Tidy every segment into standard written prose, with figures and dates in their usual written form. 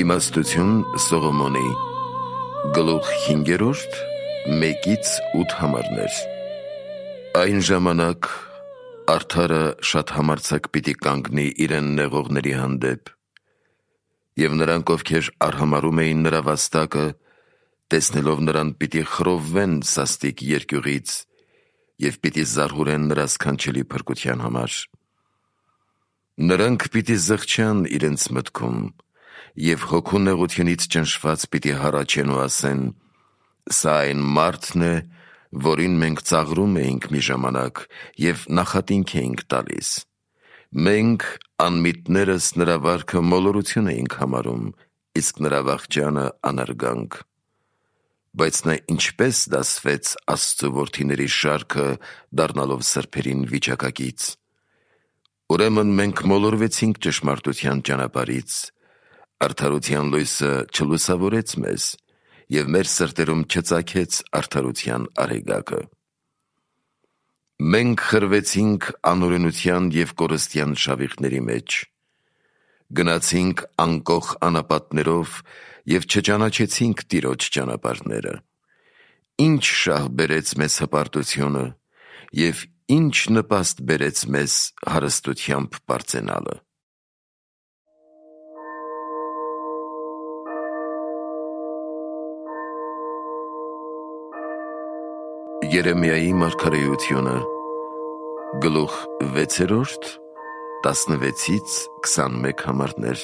Իմաստություն Սողոմոնի գլուխ 5-րդ 1-8 համարներ։ Այն ժամանակ արդարը շատ համարձակ պիտի կանգնի իրեն նեղողների հանդեպ, և նրանք, ովքեր արհամարում էին նրա վաստակը, տեսնելով նրան պիտի խռովվեն սաստիկ երկյուղից և պիտի զարհուրեն նրա սքանչելի փրկության համար։ Նրանք պիտի զղջան իրենց մտքում և հոգու նեղությունից ճնշված պիտի հառաչեն ու ասեն. «Սա այն մարդն է, որին մենք ծաղրում էինք մի ժամանակ և նախատինք էինք տալիս. մենք անմիտներս նրա վարքը մոլորություն էինք համարում, իսկ նրա վախճանը անարգանք։ Բայց նա ինչպես դասվեց Աստծու որդիների շարքը, դառնալով սրբերին վիճակակից։ Ուրեմն մենք մոլորվեցինք ճշմարտության ճանապարհից, արդարության լույսը չլուսավորեց մեզ, և մեր սրտերում չծագեց արդարության արեգակը։ Մենք խրվեցինք անօրենության և կորստյան շավիղների մեջ, գնացինք անկոխ անապատներով և չճանաչեցինք Տիրոջ ճանապարհները։ Ինչ շահ բերեց մեզ հպարտությունը և ինչ նպաստ բերեց մեզ հարստությամբ պարծենալը։ Երեմիայի մարգարեությունը գլուխ 6-րդ 16-21 համարներ։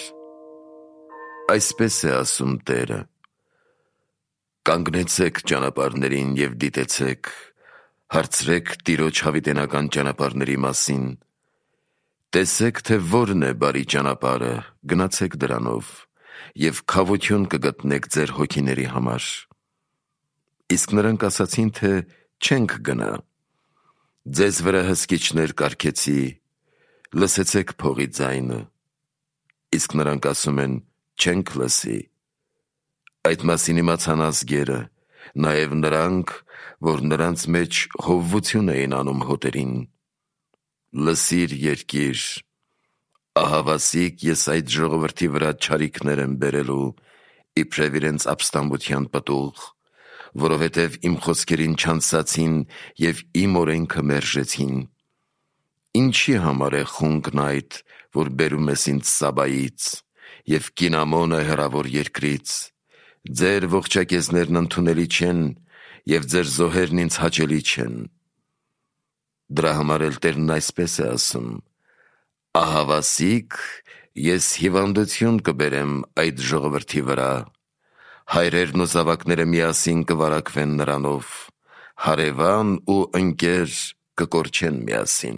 Այսպես է ասում Տերը. «Կանգնեցեք ճանապարհներին և դիտեցեք, հարցրեք Տիրոջ հավիտենական ճանապարհների մասին, տեսեք, թե որն է բարի ճանապարհը, գնացեք դրանով, և քավություն կգտնեք ձեր հոգիների համար»։ Իսկ նրանք ասացին, թե չենք գնա։ Ձեզ վրա հսկիչներ կարգեցի, լսեցեք փողի ձայնը։ Իսկ նրանք ասում են. չենք լսի։ Այդ մասին իմացան ազգերը, նաև նրանք, որ նրանց մեջ հովվություն էին անում հոտերին։ Լսիր, երկիր, ահավասիկ ես այդ ժողովրդի վրա չարիքներ եմ բերելու, իբրև իրենց ապստամբության պտուղ, որովհետև իմ խոսքերին չանցացին և իմ օրենքը մերժեցին։ Ինչի համար է խունկն այդ, որ բերում ես ինձ Սաբայից, և կինամոնը հեռավոր երկրից։ Ձեր ողջակեզներն ընդունելի չեն, և ձեր զոհերն ինձ հաճելի չեն։ Դրա համար էլ Տերն այսպես է ասում. ահավասիկ ես հիվանդություն կբերեմ այդ ժողովրդի վրա, հայրերն ու զավակները միասին կվարակվեն նրանով, հարևան ու ընկեր կկորչեն միասին։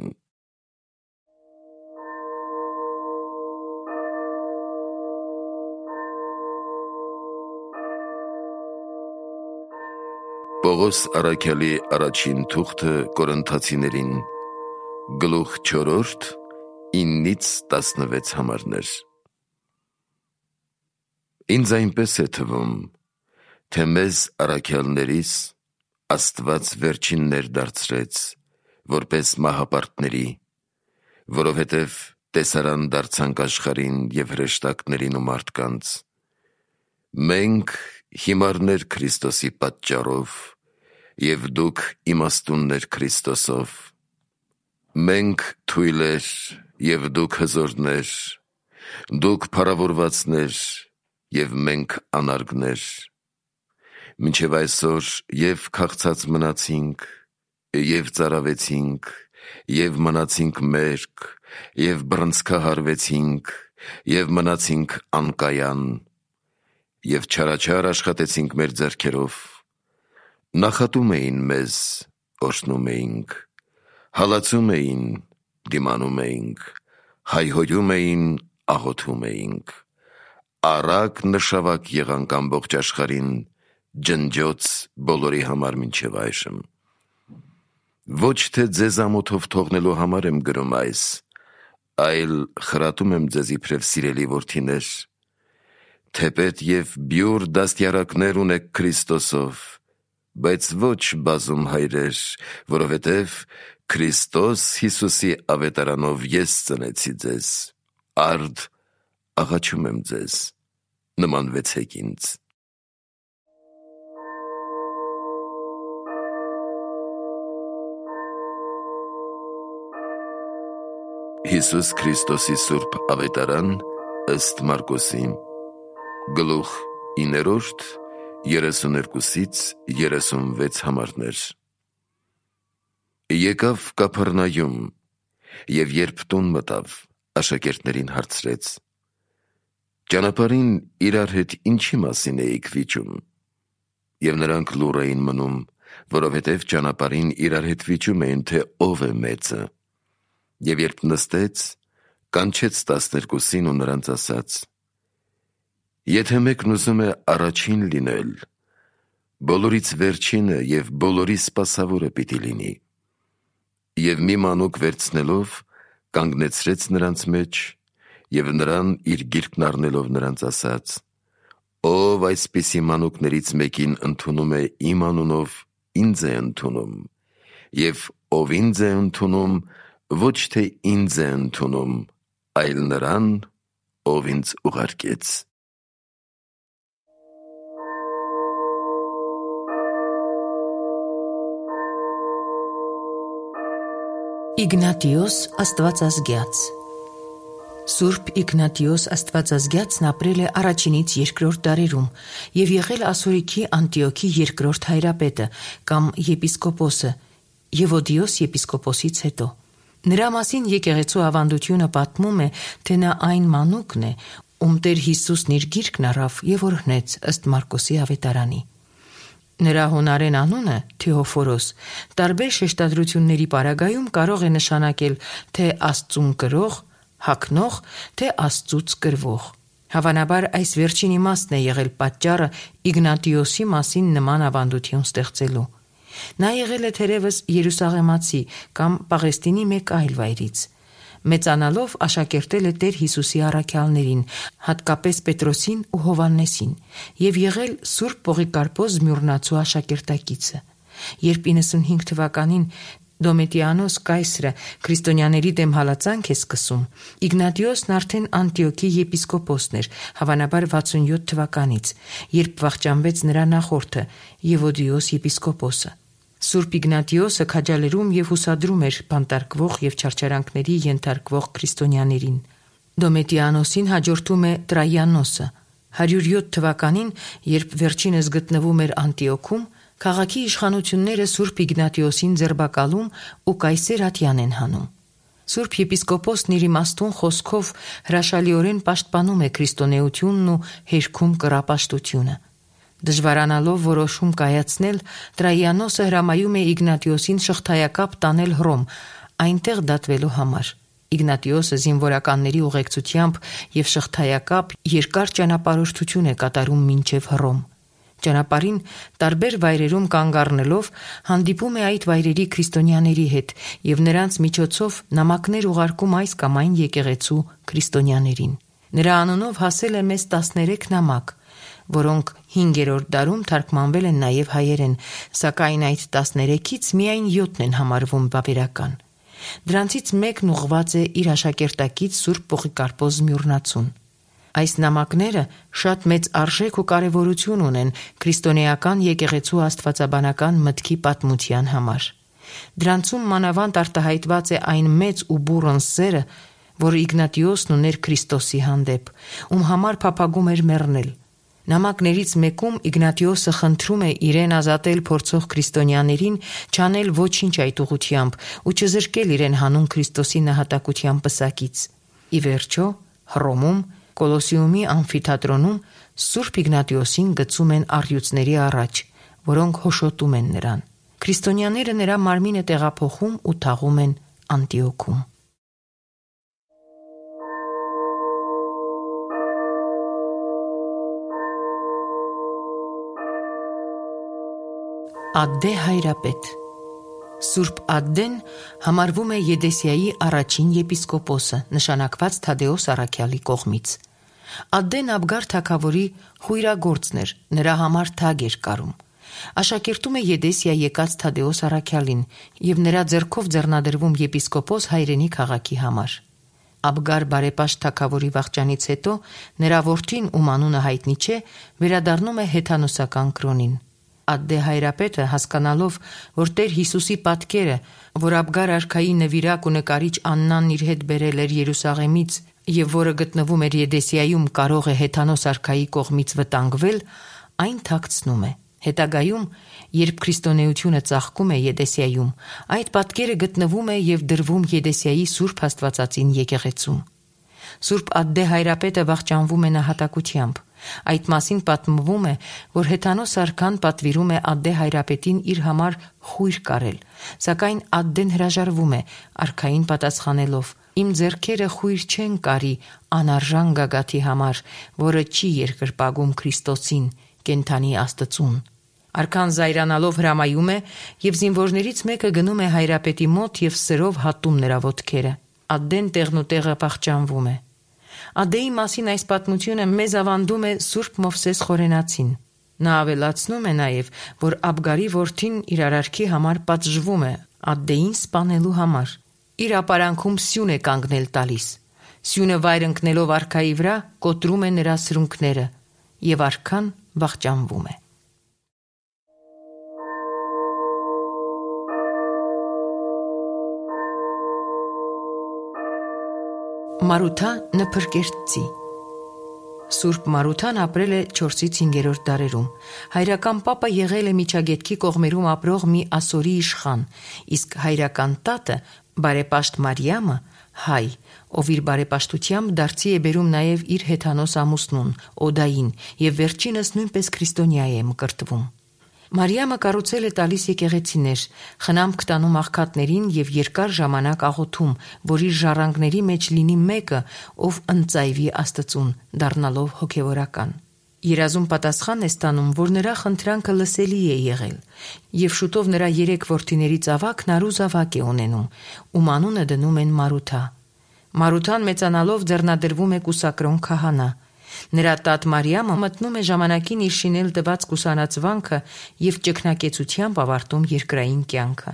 Պողոս առաքյալի առաջին թուղթը Կորինթացիներին գլուխ 4 9-16 համարներ։ Ինձ այնպես է թվում, թե մեզ առաքյալներիս Աստված վերջիններ դարձրեց, որպես մահապարտների, որովհետև տեսարան դարձանք աշխարհին և հրեշտակներին ու մարդկանց։ Մենք հիմարներ Քրիստոսի պատճառով, և դուք իմաստուններ Քրիստոսով։ Մենք թույլեր, և դուք հզորներ, դուք փառավորվածներ, և մենք անարգներ։ Մինչև այսօր և քաղցած մնացինք, և ծարավեցինք, և մնացինք մերկ, և բռնցքահարվեցինք, և մնացինք անկայան, և չարաչար աշխատեցինք մեր ձեռքերով։ Նախատում էին մեզ, օրհնում էինք, հալածում էին, դիմանում էինք, հայհոյում էին, աղոթում էինք։ Առակ նշավակ եղանք ամբողջ աշխարհին, ջնջոց բոլորի համար մինչև այժմ։ Ոչ թե ձեզ ամոթով թողնելու համար եմ գրում այս, այլ խրատում եմ ձեզ իբրև սիրելի որդիներ, թեպետ և բյուր դաստիարակներ ունեք Քրիստոսով, բայց ոչ բազում հայրեր, որովհետև Քրիստոս Հիսուսի ավետարանով ես ծնեցի ձեզ, արդ աղաչում եմ ձեզ։ նմանվեցեք ինձ։ Հիսուս Քրիստոսի Սուրբ Ավետարան ըստ Մարկոսի, գլուխ 9, 32-ից 36 համարներ։ Եկավ Կափառնայում, և երբ տուն մտավ, աշակերտներին հարցրեց. «Ճանապարհին իրար հետ ինչի մասին էիք վիճում»։ Եվ նրանք լուռ էին մնում, որովհետև ճանապարհին իրար հետ վիճում էին, թե ով է մեծը։ Եվ երբ նստեց, կանչեց 12-ին ու նրանց ասաց. «Եթե մեկն ուզում է առաջին լինել, բոլորից վերջինը և բոլորի սպասավորը պիտի լինի»։ Եվ մի մանուկ վերցնելով, կանգնեցրեց նրանց մեջ, և նրան իր գիրկն առնելով նրանց ասաց. «Ով այսպիսի մանուկներից մեկին ընդունում է իմ անունով, ինձ է ընդունում, և ով ինձ է ընդունում, ոչ թե ինձ է ընդունում, այլ նրան, ով ինձ ուղարկեց»։ Իգնատիոս Աստվածազգյաց։ Սուրբ Իգնատիոս Աստվածազգյացն ապրել է առաջինից երկրորդ դարերում և եղել Ասորիքի Անտիոքի երկրորդ հայրապետը կամ եպիսկոպոսը Եվոդիոս եպիսկոպոսից հետո։ Նրա մասին եկեղեցու ավանդությունը պատմում է, թե նա այն մանուկն է, ում Տեր Հիսուսն իր գիրկն առավ և օրհնեց ըստ Մարկոսի ավետարանի։ Նրա հունարեն անունը Թեոֆորոս տարբեր շեշտադրությունների պարագայում կարող է նշանակել թե Աստծուն կրող, հագնող, թե Աստծուց կրվող։ Հավանաբար այս վերջին իմաստն է եղել պատճառը Իգնատիոսի մասին նման ավանդություն ստեղծելու։ Նա եղել է թերևս Երուսաղեմացի կամ Պաղեստինի մեկ այլ վայրից։ Մեծանալով աշակերտել է Տեր Հիսուսի առաքյալներին, հատկապես Պետրոսին ու Հովհաննեսին, և եղել Սուրբ Պողիկարպոս Զմյուռնացու աշակերտակիցը։ Երբ 95 թվականին Դոմետիանոս կայսրը քրիստոնյաների դեմ հալածանք է սկսում, Իգնատիոսն արդեն Անտիոքի եպիսկոպոսն էր, հավանաբար 67 թվականից, երբ վախճանվեց նրա նախորդը Եվոդիոս եպիսկոպոսը։ Սուրբ Իգնատիոսը քաջալերում և հուսադրում էր բանտարկվող և չարչարանքների ենթարկվող քրիստոնյաներին։ Դոմետիանոսին հաջորդում է Տրայանոսը։ 107 թվականին, երբ վերջինս գտնվում էր Անտիոքում, քաղաքի իշխանությունները Սուրբ Իգնատիոսին ձերբակալում ու կայսեր ատյան են հանում։ Սուրբ եպիսկոպոսն իր իմաստուն խոսքով հրաշալիորեն պաշտպանում է քրիստոնեությունն ու հերքում կռապաշտությունը։ Դժվարանալով որոշում կայացնել, Տրայանոսը հրամայում է Իգնատիոսին շղթայակապ տանել Հռոմ, այնտեղ դատվելու համար։ Իգնատիոսը զինվորականների ուղեկցությամբ և շղթայակապ երկար ճանապարհորդություն է կատարում մինչև Հռոմ։ Ճանապարհին տարբեր վայրերում կանգ առնելով հանդիպում է այդ վայրերի քրիստոնյաների հետ և նրանց միջոցով նամակներ ուղարկում այս կամ այն եկեղեցու քրիստոնյաներին։ Նրա անունով հասել է մեզ 13 նամակ, որոնք 5-րդ դարում թարգմանվել են նաև հայերեն, սակայն այդ 13-ից միայն 7-ն են համարվում վավերական։ Դրանցից մեկն ուղղված է իր աշակերտակից Սուրբ Պողիկարպոս Զմյուռնացուն։ Այս նամակները շատ մեծ արժեք ու կարևորություն ունեն քրիստոնեական եկեղեցու աստվածաբանական մտքի պատմության համար։ Դրանցում մանավանդ արտահայտված է այն մեծ ու բուռն սերը, որ Իգնատիոսն ուներ Քրիստոսի հանդեպ, ում համար փափագում էր մեռնել։ Նամակներից մեկում Իգնատիոսը խնդրում է իրեն ազատել փորձող քրիստոնյաներին չանել ոչինչ այդ ուղղությամբ ու չզրկել իրեն հանուն Քրիստոսի նահատակության պսակից։ Ի վերջո, Հռոմում Կոլոսեումի ամֆիթատրոնում Սուրբ Իգնատիոսին գցում են առյուծների առաջ, որոնք հոշոտում են նրան։ Քրիստոնյաները նրա մարմինը տեղափոխում ու թաղում են Անտիոքում։ Ադդե հայրապետ։ Սուրբ Ադդեն համարվում է Եդեսիայի առաջին եպիսկոպոսը, նշանակված Թադեոս առաքյալի կողմից։ Ադդեն Աբգար թագավորի խույրագործն էր, նրա համար թագ էր կարում։ Աշակերտում է Եդեսիա եկած Թադեոս առաքյալին և նրա ձեռքով ձեռնադրվում եպիսկոպոս հայրենի քաղաքի համար։ Աբգար բարեպաշտ թագավորի վախճանից հետո նրա որդին, ում անունը հայտնի չէ, վերադառնում է հեթանոսական կրոնին։ Ադդե հայրապետը, հասկանալով, որ Տեր Հիսուսի պատկերը, որ Աբգար արքայի նվիրակ ու նկարիչ Աննան իր հետ բերել էր Երուսաղեմից եւ որը գտնվում էր Եդեսիայում, կարող է հեթանոս արքայի կողմից վտանգվել, այն թաքցնում է։ Հետագայում, երբ քրիստոնեությունը ծաղկում է Եդեսիայում, այդ պատկերը գտնվում է եւ դրվում Եդեսիայի Սուրբ Աստվածածին եկեղեցում։ Սուրբ Ադդե հայրապետը վախճանվում է նահատակությամբ։ Այդ մասին պատմվում է, որ հեթանոս արքան պատվիրում է Ադդե հայրապետին իր համար խույր կարել, սակայն Ադդեն հրաժարվում է, արքային պատասխանելով. «Իմ ձեռքերը խույր չեն կարի անարժան գագաթի համար, որը չի երկրպագում Քրիստոսին, կենդանի Աստծուն»։ Արքան զայրանալով հրամայում է եւ զինվորներից մեկը գնում է հայրապետի մոտ եւ սրով հատում նրա ոտքերը։ Ադդեն տեղնուտեղը վախճանվում է։ Ադդեի մասին այս պատմությունը մեզ ավանդում է Սուրբ Մովսես Խորենացին։ Նա ավելացնում է նաեւ, որ Աբգարի որդին իր արարքի համար պատժվում է Ադդեին սպանելու համար։ Իր ապարանքում սյուն է կանգնել տալիս։ Սյունը վայր ընկնելով արքայի վրա կոտրում է նրա սրունքները եւ արքան վախճանվում է։ Մարութա Նփրկերտցի Սուրբ Մարութան ապրել է 4-ից 5-րդ դարերում։ Հայրական պապը եղել է Միջագետքի կողմերում ապրող մի ասորի իշխան, իսկ հայրական տատը բարեպաշտ Մարիամը հայ, ով իր բարեպաշտությամբ դարձի է բերում նաև իր հեթանոս ամուսնուն Օդային եւ վերջինս նույնպես քրիստոնյա է մկրտվում։ Մարիամը կառուցել է տալիս եկեղեցիներ, խնամք տանում աղքատներին եւ երկար ժամանակ աղոթում, որ իր ժառանգների մեջ լինի մեկը, ով ընծայվի Աստծուն, դառնալով հոգեվորական։ Երազում պատասխան է ստանում, որ նրա խնդրանքը լսելի է եղել, եւ շուտով նրա 3 որդիներից ավագն առուզավակ է ունենում, ում անունը դնում են Մարութա։ Մարութան մեծանալով ձեռնադրվում է կուսակրոն քահանա։ Նրա տատ Մարիամը մտնում է ժամանակին իր շինել տված կուսանացվանքը եւ ճգնակեցությամբ ավարտում երկրային կյանքը։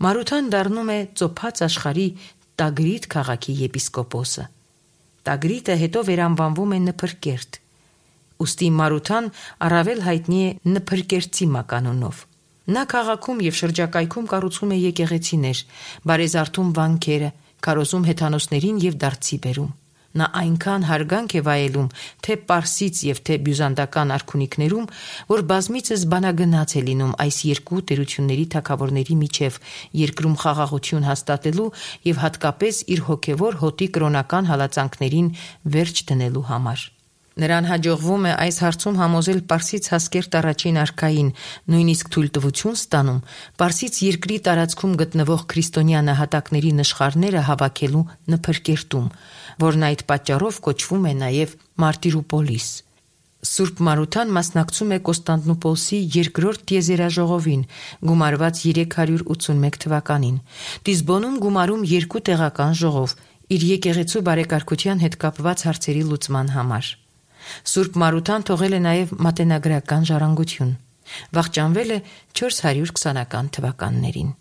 Մարութան դառնում է ծոփած աշխարհի Տագրիտ քաղաքի եպիսկոպոսը։ Տագրիտը հետո վերանվանվում է Նփրկերտ։ Ուստի Մարութան առավել հայտնի է Նփրկերտցի մականունով։ Նա քաղաքում եւ շրջակայքում կառուցում է եկեղեցիներ, բարեզարդում վանքերը, քարոզում հեթանոսներին եւ դարձի բերում։ Նա այնքան հարգանք է վայելում թե Պարսից եւ թե բյուզանդական արքունիքներում, որ բազմիցս բանագնաց է լինում այս երկու տերությունների թագավորների միջև երկրում խաղաղություն հաստատելու եւ հատկապես իր հոգեվոր հոտի կրոնական հալածանքներին վերջ դնելու համար։ Նրան հաջողվում է այս հարցում համոզել Պարսից Հասկերտ առաջին արքային, նույնիսկ թույլտվություն ստանում Պարսից երկրի տարածքում գտնվող քրիստոնյա նահատակների նշխարները հավաքելու Նփրկերտում, որն այդ պատճառով կոչվում է նաև Մարտիրոպոլիս։ Սուրբ Մարութան մասնակցում է Կոստանդնուպոլսի երկրորդ տիեզերաժողովին, գումարված 381 թվականին։ Դիսբոնում գումարում 2 տեղական ժողով, իր եկեղեցու բարեկարգության հետ կապված հարցերի լուծման համար։ Սուրբ Մարութան թողել է նաև մատենագրական ժառանգություն։ Վախճանվել է 420-ական թվականներին։